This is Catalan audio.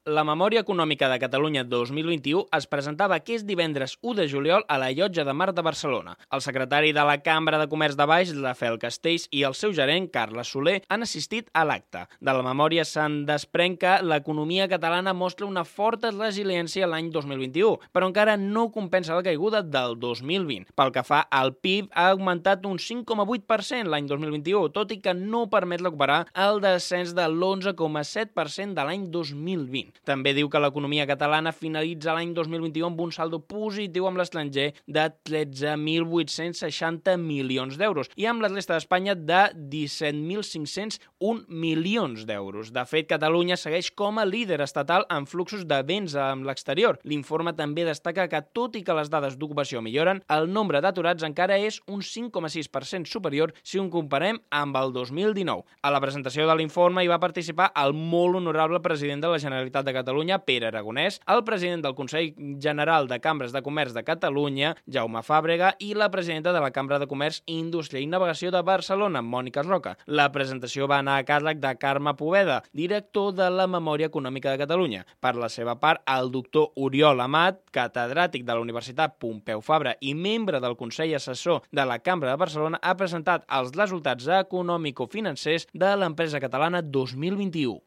La Memòria Econòmica de Catalunya 2021 es presentava aquest divendres 1 de juliol a la Llotja de Mar de Barcelona. El secretari de la Cambra de Comerç de Baix, Rafael Castells, i el seu gerent, Carles Soler, han assistit a l'acte. De la memòria se'n desprèn que l'economia catalana mostra una forta resiliència l'any 2021, però encara no compensa la caiguda del 2020. Pel que fa al PIB, ha augmentat un 5,8% l'any 2021, tot i que no permet recuperar el descens de l'11,7% de l'any 2020. També diu que l'economia catalana finalitza l'any 2021 amb un saldo positiu amb l'estranger de 13.860 milions d'euros i amb la resta d'Espanya de 17.501 milions d'euros. De fet, Catalunya segueix com a líder estatal en fluxos de béns amb l'exterior. L'informe també destaca que, tot i que les dades d'ocupació milloren, el nombre d'aturats encara és un 5,6% superior si ho comparem amb el 2019. A la presentació de l'informe hi va participar el molt honorable president de la Generalitat de Catalunya, Pere Aragonès, el president del Consell General de Cambres de Comerç de Catalunya, Jaume Fàbrega, i la presidenta de la Cambra de Comerç, Indústria i Navegació de Barcelona, Mònica Roca. La presentació va anar a càrrec de Carme Poveda, director de la Memòria Econòmica de Catalunya. Per la seva part, el doctor Oriol Amat, catedràtic de la Universitat Pompeu Fabra i membre del Consell Assessor de la Cambra de Barcelona, ha presentat els resultats econòmico-financers de l'empresa catalana 2021.